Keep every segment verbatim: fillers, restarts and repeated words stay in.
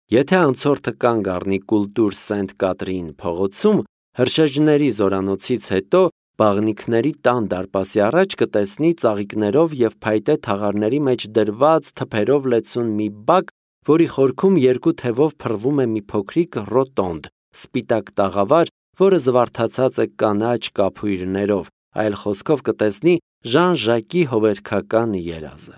Եթե անցորդը կանգ առնի կուլտուր Սենտ Կատրին փողոցում, հրշեջների զորանոցից հետո բաղնիքների տան դարպասի առաջ կտեսնի ծաղիկներով և փայտե թաղարների մեջ դրված թփերով լեցուն մի բակ, որի խորքում երկու թևով փռվում է մի փոքրիկ ռոտոնդ, սպիտակ տաղավար, որը զվարթացած է կանաչ կափույրներով, այլ խոսքով կտեսնի Ժան Ժակի հովերքական երազը։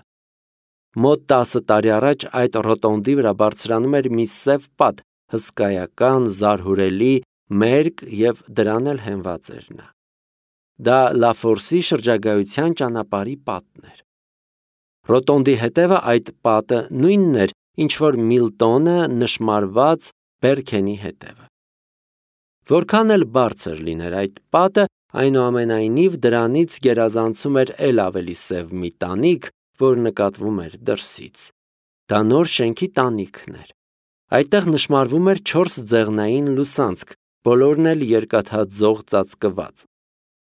Մոտ տասը տարի առաջ այդ ռոտոնդի վրա բարձրանում էր մի սև պատ, հսկայական, զարհուրելի, մերկ և դրան էլ հենված էր նա։ Դա Լաֆորսի շրջագայության ճանապարհի պատն էր։ Ռոտոնդի հետևը այդ պատը նույնն էր, ինչ որ Միլտոնը նշմարված Բերքենի հետևը։ Որքան էլ բարձր լիներ այդ պատը, այնուամենայնիվ դրանից գերազանցում էր էլ ավելի սև մի տանիք, որ նկատվում էր դրսից։ Դա նոր շենքի տանիքն էր։ Այդտեղ նշմարվում էր չորս ձեղնային լուսանցք, բոլորն էլ երկաթաձող ծածկված։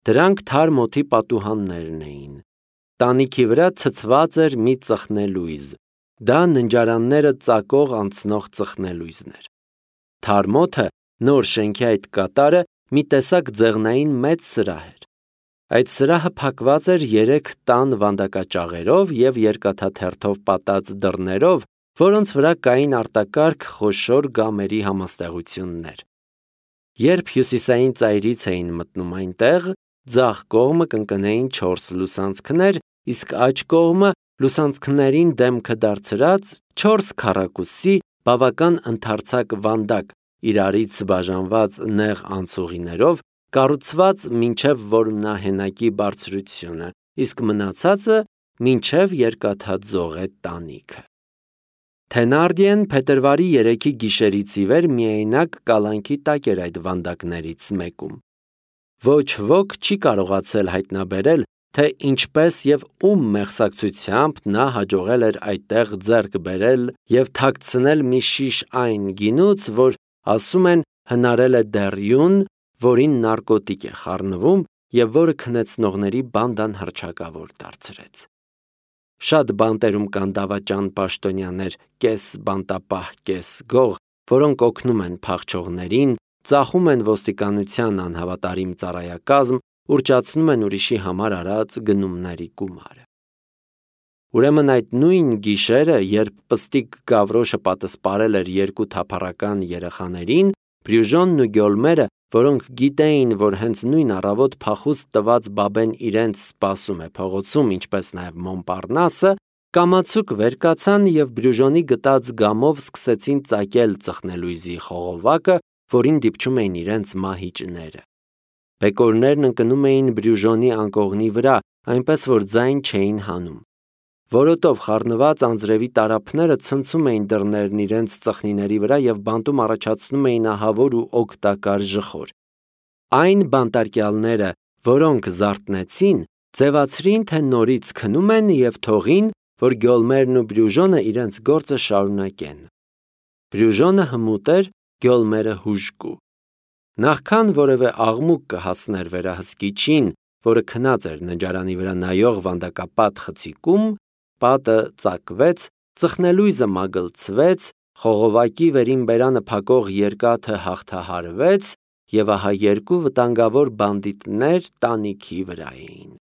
Դրանք թարմ օդի պատուհաններն էին։ Տանիքի վրա ցցված էր մի ծխնելույզ։ Դա ննջարանները ծակող անցնող ծխնելույզն էր։ Թարմ օդը, նոր շենքի այդ կատարը, մի տեսակ ձեղնային մեծ սրահ էր։ Այդ սրահը փակված էր երեք տան վանդակաճաղերով և երկաթաթերթով պատած դռներով, որոնց վրա կային արտակարգ խոշոր գամերի համաստեղություններ։ Երբ հյուսիսային ծայրից էին մտնում այնտեղ, ձախ կողմը կընկնեին չորս լուսանցքներ, իսկ աջ կողմը լուսանցքներին դեմքը դարձրած չորս քառակուսի բավական ընդարձակ վանդակ, իրարից բաժանված նեղ անցուղիներով, կառուցված մինչև որմնահենակի բարձրությունը, իսկ մնացածը մինչև երկաթաձող է տանիքը։ Թենարդիեն փետրվարի երեքի գիշերից ի վեր միայնակ կալանքի տակ էր այդ վանդակներից մեկում։ Ոչ ոք չի կարողացել հայտնաբերել, թե ինչպես և ում մեղսակցությամբ նա հաջողել էր այդտեղ ձեռք բերել և թաքցնել մի շիշ այն գինուց, որ, ասում են, հնարել է դեռյուն, որին նարկոտիկ է խառնվում և որը քնեցնողների բանդան հռչակավոր դարձրեց։ Շատ բանտերում կան դավաճան պաշտոնյաներ, կես բանտապահ, կես գող, որոնք օգնում են փախչողներին, ծախում են ոստիկանության անհավատարիմ ծառայակազմ, ուռճացնում են ուրիշի համար արած գնումների գումարը։ Ուրեմն այդ նույն գիշերը, երբ պստիկ Գավրոշը պատսպարել էր երկու թափառական երեխաներին, Բրյուժոնն ու Գյոլմերը, որոնք գիտեին, որ հենց նույն առավոտ փախուստ տված բաբեն իրենց սպասում է փողոցում, ինչպես նաև Մոնպառնասը, կամացուկ վեր կացան և Բրյուժոնի գտած գամով սկսեցին ծակել ծխնելույզի խողովակը, որին դիպչում էին իրենց մահիճները։ Բեկորներն ընկնում էին Բրյուժոնի անկողնի վրա, այնպես որ ձայն չէին հանում։ Որոտով խառնված անձրևի տարափները ցնցում էին դռներն իրենց ծխնիների վրա և բանտում առաջացնում էին ահավոր ու օգտակար ժխոր։ Այն բանտարկյալները, որոնք զարթնեցին, ձևացրին, թե նորից քնում են և թողին, որ Գյոլմերն ու Բրյուժոնը իրենց գործը շարունակեն։ Բրյուժոնը հմուտ էր, Գյոլմերը հուժկու։ Նախքան որևէ աղմուկ կհասներ վերահսկիչին, որը քնած էր ննջարանի վրա նայող վանդակապատ խցիկում, պատը ծակվեց, ծխնելույզը մագլցվեց, խողովակի վերին բերանը փակող երկաթը հաղթահարվեց, և ահա երկու վտանգավոր բանդիտներ տանիքի վրա էին։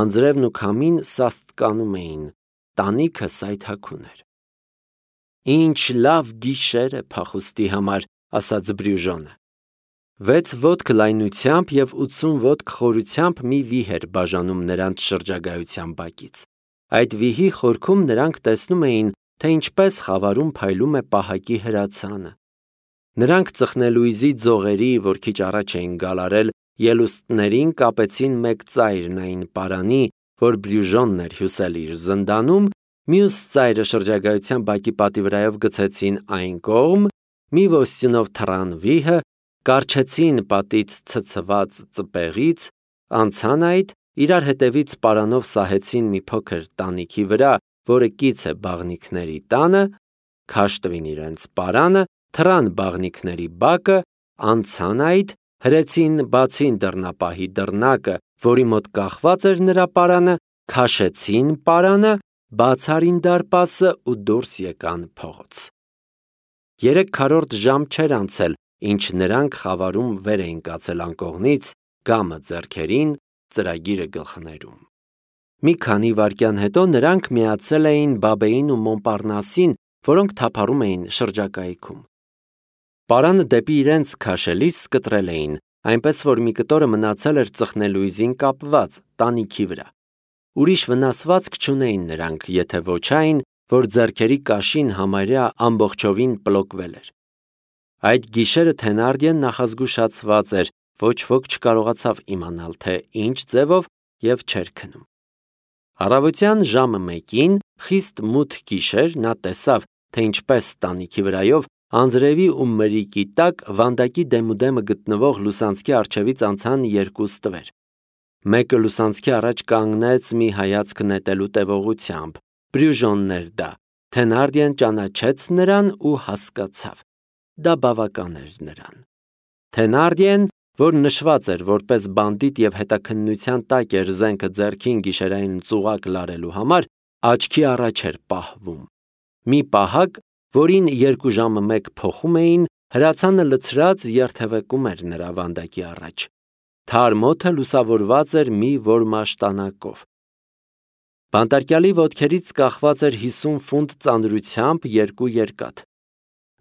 Անձրևն ու քամին սաստկանում էին, տանիքը սայթաքուն էր։ Ինչ լավ գիշեր է փախուստի համար, ասաց Բրյուժոնը։ Վեց ոտք լայնությամբ և ութսուն ոտք խորությամբ մի վիհ էր բաժանում նրանց շրջագայության բակից։ Այդ վիհի խորքում նրանք տեսնում էին, թե ինչպես խավարում փայլում է պահակի հրացանը։ Նրանք ծխնելույզի ձողերի, որ քիչ առաջ էին գալարել, ելուստներին կապեցին մեկ ծայրն այն պարանի, որ Բրյուժոնն էր հյուսել իր զնդանում, մյուս ծայրը շրջագայության բակի պատի վրայով գցեցին այն կողմ, մի ոստյունով թռան վիհը, կառչեցին պատից ցցված ծպեղից, անցան այդ, իրար հետևից պարանով սահեցին մի փոքր տանիքի վրա, որը կից է բաղնիքների տանը, քաշ տվին իրենց պարանը, թռան բաղնիքների բակը, անցան այդ, հրեցին բացին դռնապահի դռնակը, որի մոտ կախված էր նրա պարանը, քաշեցին պարանը, բաց արին դարպասը ու դուրս եկան փողոց։ Երեք քառորդ ժամ չէր անցել, ինչ նրանք խավարում վեր էին կացել անկողնից, գամը ձեռքերին, ծրագիրը գլխներում։ Մի քանի վայրկյան հետո նրանք միացել էին Բաբեին ու Մոնպարնասին, որոնք թափառում էին շրջակայքում։ Պարանը դեպի իրենց քաշելիս կտրել էին, այնպես որ մի կտորը մնացել էր ծխնելույզին կապված տանիքի վրա։ Ուրիշ վնասվածք չունեին նրանք, եթե ոչ այն, որ ձեռքերի կաշին համարյա ամբողջովին պլոկվել էր։ Այդ գիշերը Թենարդիեն նախազգուշացված էր, ոչ ոք չկարողացավ իմանալ, թե ինչ ձևով և չէր քնում։ Առավոտյան ժամը մեկին, խիստ մութ գիշեր, նա տեսավ, թե ինչպես տանիքի վրայով անձրևի ու մրրիկի տակ վանդակի դեմուդեմը գտնվող լուսանցքի առջևից անցան երկու ստվեր։ Մեկը լուսանցքի առաջ կանգնեց մի հայացք նետելու տևողությամբ, Բրյուժոնն էր դա։ Թենարդիեն ճանաչեց նրան ու հասկացավ։ Դա բավական էր նրան։ Թենարդիեն, որ նշված էր որպես բանդիտ և հետաքննության տակ էր զենքը ձեռքին գիշերային ծուղակ լարելու համար, աչքի առաջ էր պահվում։ Մի պահակ, որին երկու ժամը մեկ փոխում էին, հրացանը լցրած երթևեկում էր նրա վանդակի առաջ։ Թարմ օդը լուսավորված էր մի որմաշտանակով։ Բանտարկյալի ոտքերից կախված էր հիսուն ֆունտ ծանրությամբ երկու երկաթ։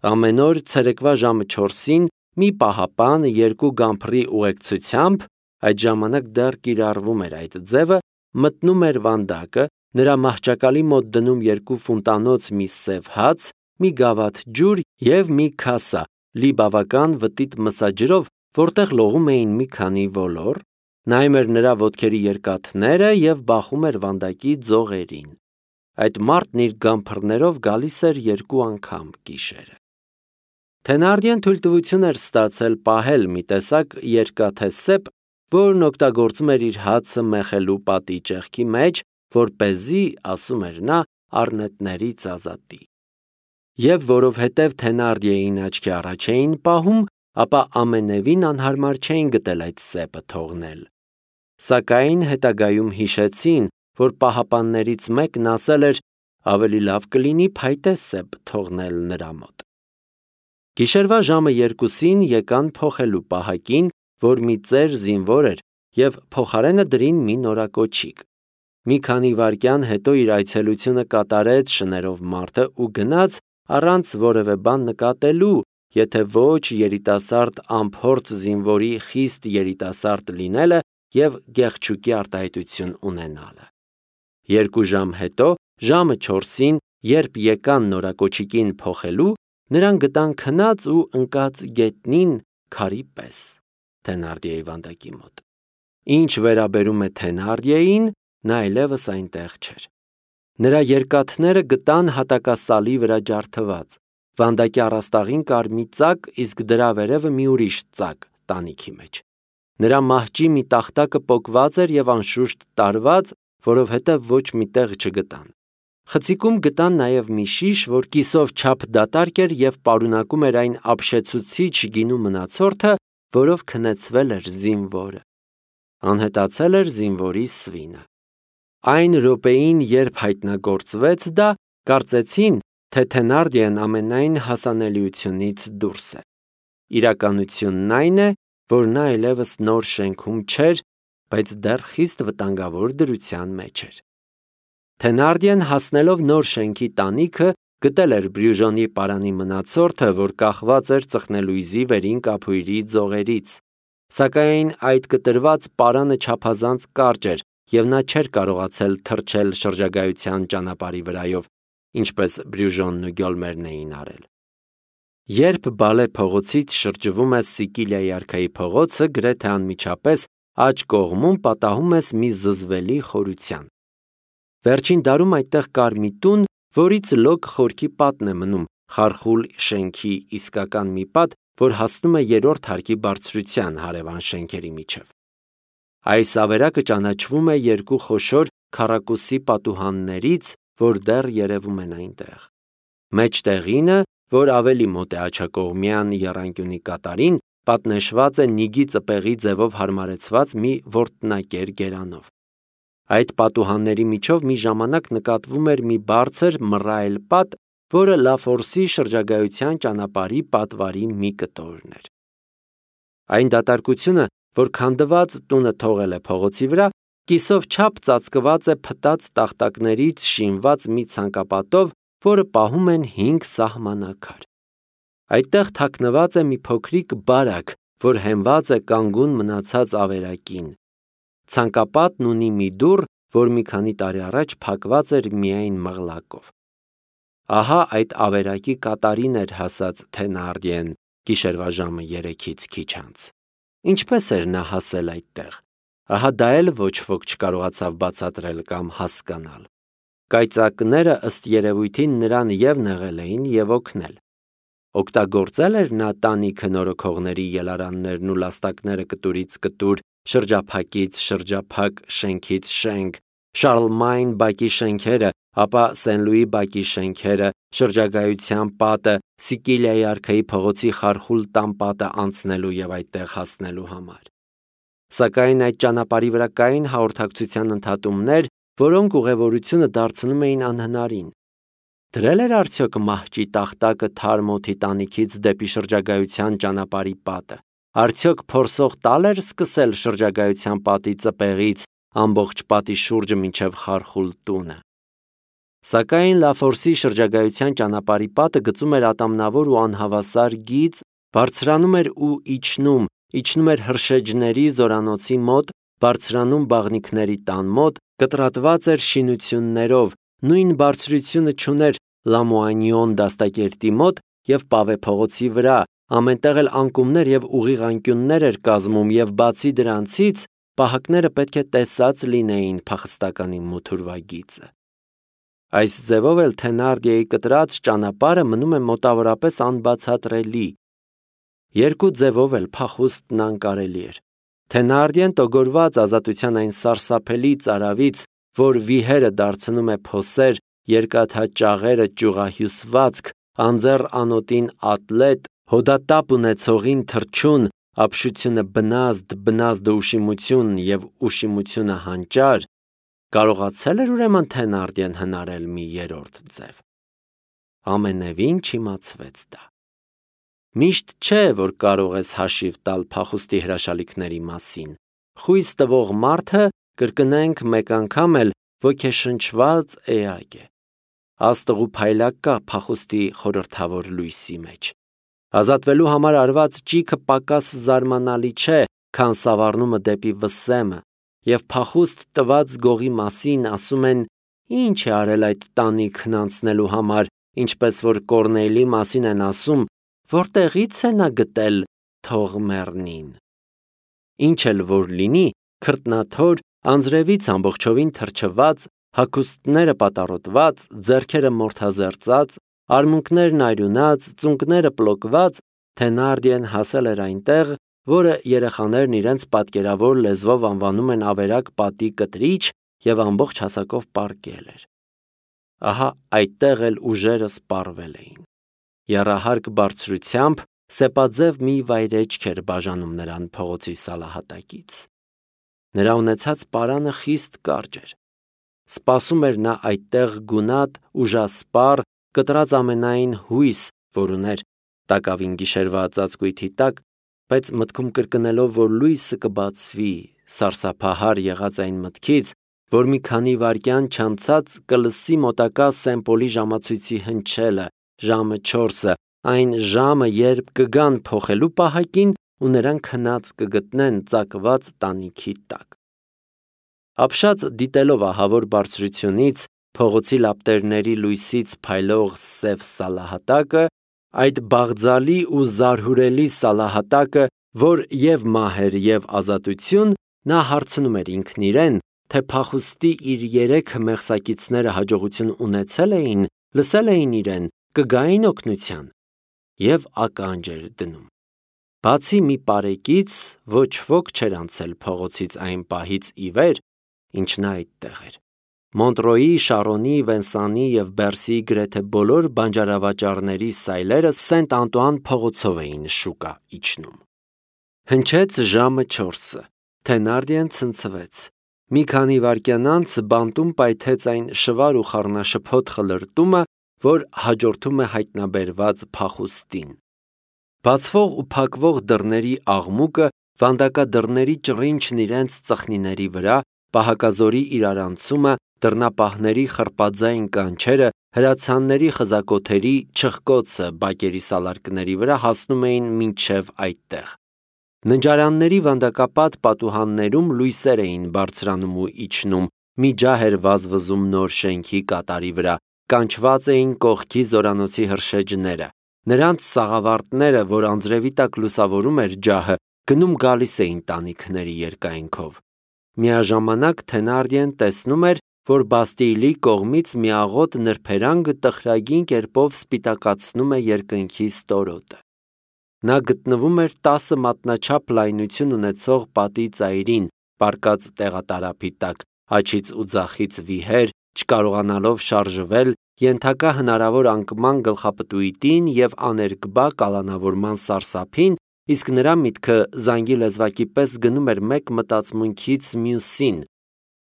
Ամեն օր ցերեկվա ժամը չորսին մի պահապան երկու գամփռի ուղեկցությամբ, այդ ժամանակ դեռ կիրառվում էր այդ ձևը, մտնում էր վանդակը, նրա մահճակալի մոտ դնում երկու ֆունտանոց մի սև հաց, մի գավաթ ջուր և մի քասա, լի բավական վտիտ մսաջրով, որտեղ լողում էին մի քանի ոլոր, նայում էր նրա ոտքերի երկաթները և բախում էր վանդակի ձողերին։ Այդ մարդն իր գամփռներով գալիս էր երկու անգամ գիշերը։ Թենարդիեն թույլտվություն էր ստացել պահել մի տեսակ երկաթե սեպ, որն օգտագործում էր իր հացը մեխելու պատի ճեղքի մեջ, որպեսզի, ասում էր նա, առնետներից ազատի։ Եվ որովհետև Թենարդիեին աչքի առաջ էին պահում, ապա ամենևին անհարմար չէին գտել այդ սեպը թողնել։ Սակայն հետագայում հիշեցին, որ պահապաններից մեկն ասել էր, ավելի լավ կլինի փայտե սեպ թողնել նրա մոտ։ Գիշերվա ժամը երկուսին եկան փոխելու պահակին, որ մի ծեր զինվոր էր, և փոխարենը դրին մի նորակոչիկ։ Մի քանի վայրկյան հետո իր այցելությունը կատարեց շներով մարդը ու գնաց առանց որևէ բան նկատելու, եթե ոչ երիտասարդ անփորձ զինվորի խիստ երիտասարդ լինելը և գեղչուկի արտահայտություն ունենալը։ Երկու ժամ հետո, ժամը չորսին, երբ եկան նորակոչիկին փոխելու, նրան գտան քնած ու ընկած գետնին քարի պես Թենարդիեի վանդակի մոտ։ Ինչ վերաբերում է Թենարդիեին, նա այլևս այնտեղ չէր։ Նրա երկաթները գտան հատակասալի վրա ջարդված։ Վանդակի առաստաղին կար մի ծակ, իսկ դրա վերևը մի ուրիշ ծակ տանիքի մեջ։ Նրա մահճի մի տախտակը պոկված էր և անշուշտ տարված, որովհետև ոչ մի տեղ չգտան։ Խցիկում գտան նաև մի շիշ, որ կիսով չափ դատարկ էր և պարունակում էր այն ապշեցուցիչ գինու մնացորդը, որով քնեցվել էր զինվորը։ Անհետացել էր զինվորի սվինը։ Այն րոպեին, երբ հայտնագործվեց դա, կարծեցին, թե Թենարդիեն ամենայն հասանելիությունից դուրս է։ Իրականությունն այն է, որ նա այլևս նոր շենքում չէր, բայց դեռ խիստ վտանգավոր դրության մեջ էր։ Թենարդիեն հասնելով նոր շենքի տանիքը, գտել էր Բրյուժոնի պարանի մնացորդը, որ կախված էր ծխնելույզի վերին կափույրի ձողերից, սակայն այդ կտրված պարանը չափազանց կարճ էր, և նա չէր կարողացել թռչել շրջագայության ճանապարհի վրայով, ինչպես Բրյուժոնն ու Գյոլմերն էին արել։ Երբ Բալե փողոցից շրջվում ես Սիկիլիայի արքայի փողոցը, գրեթե անմիջապես աջ կողմում պատահում ես մի զզվելի խորության։ Վերջին դարում այդտեղ կար մի տուն, որից լոկ խորքի պատն է մնում, խարխուլ շենքի իսկական մի պատ, որ հասնում է երրորդ հարկի բարձրության հարևան շենքերի միջև։ Այս ավերակը ճանաչվում է երկու խոշոր քառակուսի պատուհաններից, որ դեռ երևում են այնտեղ։ Մեջտեղինը, որ ավելի մոտ է աջակողմյան եռանկյունի կատարին, պատնեշված է նիգի ծպեղի ձևով հարմարեցված մի որտնակեր գերանով։ Այդ պատուհանների միջով մի ժամանակ նկատվում էր մի բարձր մռայլ պատ, որը Լաֆորսի շրջագայության ճանապարհի պատվարի մի կտորն էր։ Այն դատարկությունը, որ քանդված տունը թողել է փողոցի վրա, կիսով չափ ծածկված է փտած տախտակներից շինված մի ցանկապատով, որը պահում են հինգ սահմանակար։ Այդտեղ թաքնված է մի փոքրիկ բարակ, որ հենված է կանգուն մնացած ավերակին։ Ցանկապատն ունի մի դուռ, որ մի քանի տարի առաջ փակված էր միայն մղլակով։ Ահա այդ ավերակի կատարին էր հասած Թենարդիեն գիշերվա ժամը երեքից քիչ անց։ Ինչպես էր նա հասել այդտեղ։ Ահա դա էլ ոչ ոք չկարողացավ բացատրել կամ հասկանալ։ Կայծակները ըստ երևույթին նրան և նեղել էին և օգնել։ Օգտագործել էր նա տանիքը նորոգողների ելարաններն ու լաստակները կտուրից կտուր, շրջափակից շրջափակ, շենքից շենք, Շարլմայն բակի շենքերը, ապա Սեն-Լուի բակի շենքերը, շրջագայության պատը, Սիկիլիայի արքայի փողոցի խարխուլ տան պատը անցնելու և այդտեղ հասնելու համար։ Սակայն այդ ճանապարհի վրա կային հաղորդակցության ընդհատումներ, որոնք ուղևորությունը դարձնում էին անհնարին։ Դրել էր արդյոք մահճի տախտակը թարմ օդի տանիքից դեպի շրջագայության ճանապարհի պատը։ Արդյոք փորձող տալ էր սկսել շրջագայության պատի ծպեղից ամբողջ պատի շուրջը մինչև խարխուլ տունը։ Սակայն Լաֆորսի շրջագայության ճանապարհի պատը գծում էր ատամնավոր ու անհավասար գիծ, բարձրանում էր ու իջնում, իջնում էր հրշեջների զորանոցի մոտ, բարձրանում բաղնիքների տան մոտ, կտրատված էր շինություններով, նույն բարձրությունը չուներ Լամուանիոն դաստակերտի մոտ և Պավե փողոցի վրա, ամենտեղ էլ անկումներ և ուղիղ անկյուններ էր կազմում և բացի դրանցից պահակները պետք է տեսած լինեին փախստականի մութուրվագիծը։ Այս ձևով էլ Թենարդիեի կտրած ճանապարհը մնում է մոտավորապես անբացատրելի։ Երկու ձևով էլ փախուստն անկարելի էր։ Թենարդիեն տոգորված ազատության այն սարսափելի ծարավից, որ վիհերը դարձնում է փոսեր, երկաթաճաղերը ճյուղահյուսվածք, անձեռ անոտին ատլետ, հոդատապ ունեցողին թռչուն, ապշությունը բնազդ, բնազդը ուշիմություն և ուշիմությունը հանճար, կարողացել էր ուրեմն Թենարդիեն հնարել մի երրորդ ձև։ Ամենևին չիմացվեց դա։ Միշտ չէ, որ կարող ես հաշիվ տալ փախուստի հրաշալիքների մասին։ Խույս տվող մարդը, կրկնենք մեկ անգամ էլ, ոգեշնչված էակ է։ Աստղ ու փայլակ կա փախուստի խորհրդավոր լույսի մեջ։ Ազատվելու համար արված ճիգը պակաս զարմանալի չէ, քան սավառնումը դեպի վսեմը, և փախուստ տված գողի մասին ասում են. ինչ է արել այդ տանիքն անցնելու համար, ինչպես որ Կորնեյլի մասին են ասում, որտեղից է նա գտել թող մեռնին։ Ինչ էլ որ լինի, քրտնաթոր, անձրևից ամբողջովին թրջված, հագուստները պատառոտված, ձեռքերը մորթազերծած, արմունկներն այրունած, ծունկները պլոկված, Թենարդիեն հասել էր այնտեղ, որը երեխաներն իրենց պատկերավոր լեզվով անվանում են ավերակ պատի կտրիչ և ամբողջ հասակով պառկել էր։ Ահա այդտեղ էլ ուժերը սպառվել էին։ Եռահարկ բարձրությամբ սեպաձև մի վայրէջք էր բաժանում նրան փողոցի սալահատակից։ Նրա ունեցած պարանը խիստ կարճ էր։ Սպասում էր նա այդտեղ գունատ, ուժասպառ, կտրած ամենայն հույս, որ ուներ տակավին գիշերվա ծածկույթի տակ, բայց մտքում կրկնելով, որ լույսը կբացվի, սարսափահար եղած այն մտքից, որ մի քանի վայրկյան չանցած կլսի մոտակա Սեն-Պոլի ժամացույցի հնչելը, ժամը չորսը, այն ժամը, երբ կգան փոխելու պահակին ու նրանք հնաց կգտնեն ծակված տանիքի տակ։ Ապշած դիտելով ահավոր բարձրությունից փողոցի լապտերների լույսից փայլող սև սալահատակը, այդ բաղձալի ու զարհուրելի սալահատակը, որ և մահ էր և ազատություն, նա հարցնում էր ինքն իրեն, թե փախուստի իր երեքը մեղսակիցները հաջողություն ունեցել էին, լսել էին իրեն, կգային օգնության, և ականջ էր դնում։ Բացի մի պարեկից, ոչ ոք չէր անցել փողոցից այն պահից ի վեր, ինչ նա այդտեղ էր։ Մոնտրոյի, Շարոնի, Վենսանի և Բերսիի գրեթե բոլոր բանջարավաճառների սայլերը Սենտ Անտուան փողոցով էին շուկա իջնում։ Հնչեց ժամը չորսը։ Թենարդիեն ցնցվեց։ Մի քանի վայրկյան անց բանտում պայթեց այն շվար ու խառնաշփոթ խլրտումը, որ հաջորդում է հայտնաբերված փախուստին։ Բացվող ու փակվող դռների աղմուկը, վանդակադռների ճռինչն իրենց ծխնիների վրա, պահակազորի իրարանցումը, դռնապահների խրպաձայն կանչերը, հրացանների խզակոթերի չխկոցը բակերի սալարկների վրա հասնում էին մինչև այդտեղ։ Ննջարանների վանդակապատ պատուհաններում լույսեր էին բարձրանում ու իջնում, մի ջահ էր վազվզում նոր շենքի կատարի վրա, կանչված էին կողքի զորանոցի հրշեջները։ Նրանց սաղավարտները, որ անձրևի տակ լուսավորում էր ջահը, գնում գալիս էին տանիքների երկայնքով։ Միաժամանակ Թենարդիեն տեսնում էր, որ Բաստիլի կողմից միաղոտ նրբերանգը տխրագին կերպով սպիտակացնում է երկնքի ստորոտը։ Նա գտնվում էր տասը մատնաչափ լայնություն ունեցող պատի ծայրին, պառկած տեղատարափի տակ, աջից ու ձախից վիհեր, չկարողանալով շարժվել, ենթակա հնարավոր անկման գլխապտույտին և աներկբա կալանավորման սարսափին, իսկ նրա միտքը զանգի լեզվակի պես գնում էր մեկ մտածմունքից մյուսին.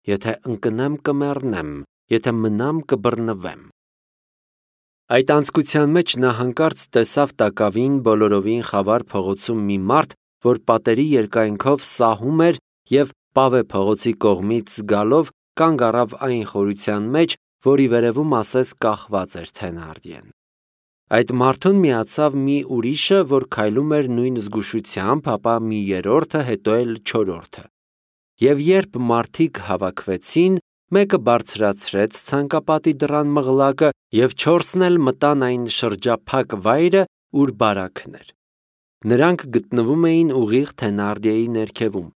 եթե ընկնեմ կմեռնեմ, եթե մնամ կբռնվեմ։ Այդ անձկության մեջ նա հանկարծ տեսավ տակավին բոլորովին խավար փողոցում մի մարդ, որ պատերի երկայնքով սահում էր և Պավե փողոցի կողմից գալով կանգ առավ այն խորության մեջ, որի վերևում ասես կախված էր Թենարդիեն։ Այդ մարդուն միացավ մի ուրիշը, որ քայլում էր նույն զգուշությամբ, ապա մի երրորդը, հետո էլ չորրորդը։ Եվ երբ մարդիկ հավաքվեցին, մեկը բարձրացրեց ցանկապատի դռան մղլակը, և չորսն էլ մտան այն շրջափակ վայրը, ուր բարաքն էր։ Նրանք գտնվում էին ուղիղ Թենարդիեի ներքևում։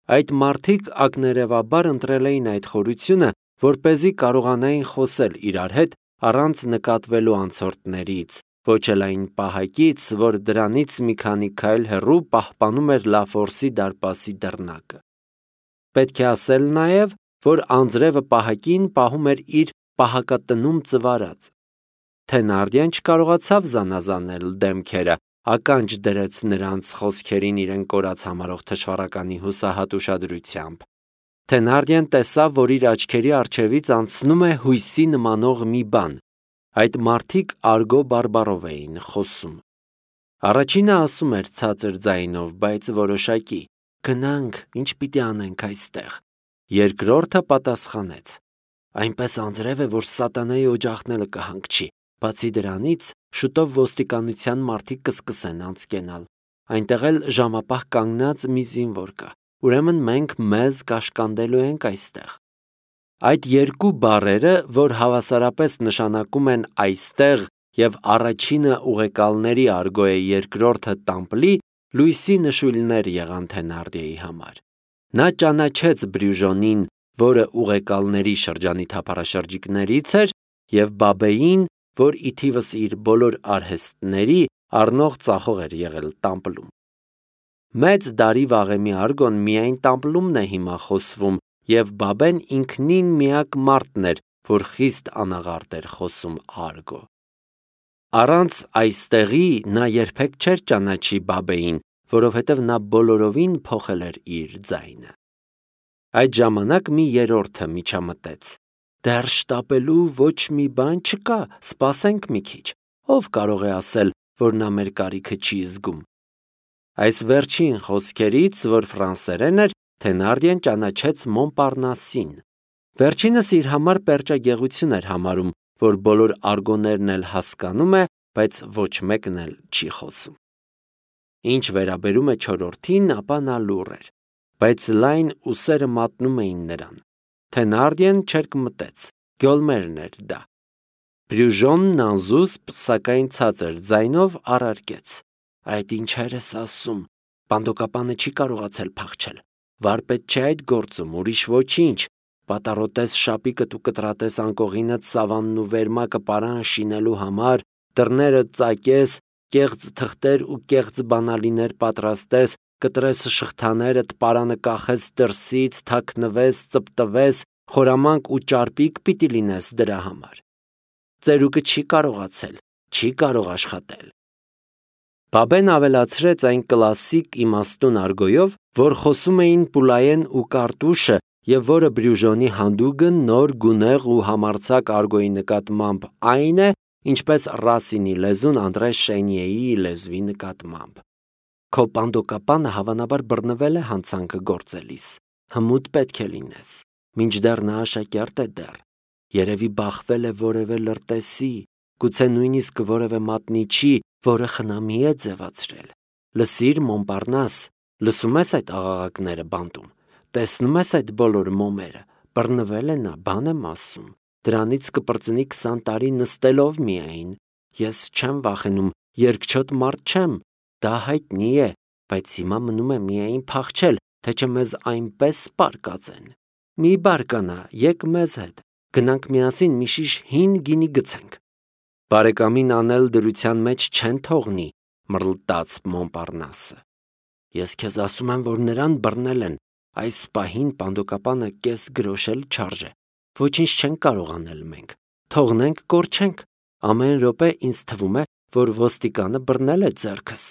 Այդ մարդիկ ակներևաբար ընտրել էին այդ խորությունը, որպեսզի կարողանային խոսել իրար հետ առանց նկատվելու անցորդներից, ոչ էլ այն պահակից, որ դրանից մի քանի քայլ հեռու պահպանում էր Լաֆորսի դարպասի դռնակը։ Պետք է ասել նաև, որ անձրևը պահակին պահում էր իր պահակատնում ծվարած։ Թենարդիեն չկարողացավ զանազանել դեմքերը, ականջ դրեց նրանց խոսքերին իրեն կորած համարող թշվառականի հուսահատ ուշադրությամբ։ Թենարդիեն տեսավ, որ իր աչքերի առջևից անցնում է հույսի նմանող մի բան։ Այդ մարդիկ արգո բարբառով էին խոսում։ Առաջինը ասում էր ցածր ձայնով, բայց որոշակի. «Գնանք, ինչ պիտի անենք այստեղ»։ Երկրորդը պատասխանեց. «Այնպես անձրև է, որ սատանայի օջախն էլ կհանգչի։ Բացի դրանից, շուտով ոստիկանության մարդիկ կսկսեն անցկենալ։ Այնտեղ էլ ժամապահ կանգնած մի զինվոր կա։ Ուրեմն մենք մեզ կաշկանդելու ենք այստեղ»։ Այդ երկու բառերը, որ հավասարապես նշանակում են այստեղ և առաջինը ուղեկալների արգո է, երկրորդը տամպլի, լույսի նշույլներ եղան Թենարդիեի համար։ Նա ճանաչեց Բրյուժոնին, որը ուղեկալների շրջանի թափառաշրջիկներից էր, և Բաբեին, որ ի թիվս իր բոլոր արհեստների առնող ծախող էր եղել տամպլում։ Մեծ դարի վաղեմի արգոն միայն տամպլումն է հիմա խոսվում, և Բաբեն ինքնին միակ մարդն էր, որ խիստ անաղարտ էր խոսում արգո։ Առանց այստեղի նա երբեք չէր ճանաչի Բաբեին, որովհետև նա բոլորովին փոխել էր իր ձայնը։ Այդ ժամանակ մի երրորդը միջամտեց. «Դեռ շտապելու ոչ մի բան չկա, սպասենք մի քիչ։ Ով կարող է ասել, որ նա մեր կարիքը չի զգում»։ Այս վերջին խոսքերից, որ ֆրանսերեն էր, Թենարդիեն ճանաչեց Մոնպարնասին։ Վերջինս իր համար պերճագեղություն էր համարում, որ բոլոր արգոներն էլ հասկանում է, բայց ոչ մեկն էլ չի խոսում։ Ինչ վերաբերում է չորրորդին, ապա նա լուռ էր, բայց լայն ուսերը մատնում էին նրան։ Թենարդիեն չերկմտեց, գյոլմերն էր դա։ Բրյուժոնն անզուսպ, սակայն ցածր ձայնով առարկեց. «Այդ ինչեր ես ասում, բանդոկապանը չի կարողացել փախչել, վարպետ չէ այդ գործում, ուրիշ ոչինչ, պատառոտես շապիկդ ու կտրատես անկողինդ սավանն ու վերմակը պարան շինելու համար, դռները ծակես, կեղծ թղթեր ու կեղծ բանալիներ պատրաստես, կտրես շղթաներդ, պարանը կախես դրսից, թաքնվես, ծպտվես, խորամանկ ու ճարպիկ պիտի լինես դրա համար։ Ծերուկը չի կարողացել, չի կարող աշխատել»։ Բաբեն ավելացրեց այն կլասիկ իմաստուն արգոյով, որ խոսում էին Պուլայեն ու Կարտուշը, և որը Բրյուժոնի հանդուգն նոր գունեղ ու համարձակ արգոյի նկատմամբ այն է, ինչպես Ռասինի լեզուն Անդրե Շենիեի լեզվի նկատմամբ։ Քո պանդոկապանը հավանաբար բռնվել է հանցանքը գործելիս, հմուտ պետք է լինես, մինչդեռ նա աշակերտ է դեռ, երևի բախվել է որևէ լրտեսի, գուցե նույնիսկ որևէ մատնիչի, որը խնամի է ձևացրել։ Լսիր, Մոնպարնաս, լսում ես այդ աղաղակները բանտում, տեսնում ես այդ բոլոր մոմերը, բռնվել է նա, բան եմ ասում, դրանից կպրծնի քսան տարի նստելով միայն, ես չեմ վախենում, երկչոտ մարդ չեմ, դա հայտնի է, բայց հիմա մնում է միայն փախչել, թե չէ մեզ այնպես պարկածեն։ Մի բարկանա, եկ մեզ հետ, գնանք միասին մի շիշ հին գինի գցենք։ Բարեկամին անել դրության մեջ չեն թողնի, մռլտաց Մոնպարնասը։ Ես քեզ ասում եմ, որ նրան բռնել են, այս պահին պանդոկապանը կես գրոշ էլ չարժե, ոչինչ չենք կարող անել մենք, թողնենք կորչենք, ամեն րոպե ինձ թվում է, որ ոստիկանը բռնել է ձեռքս։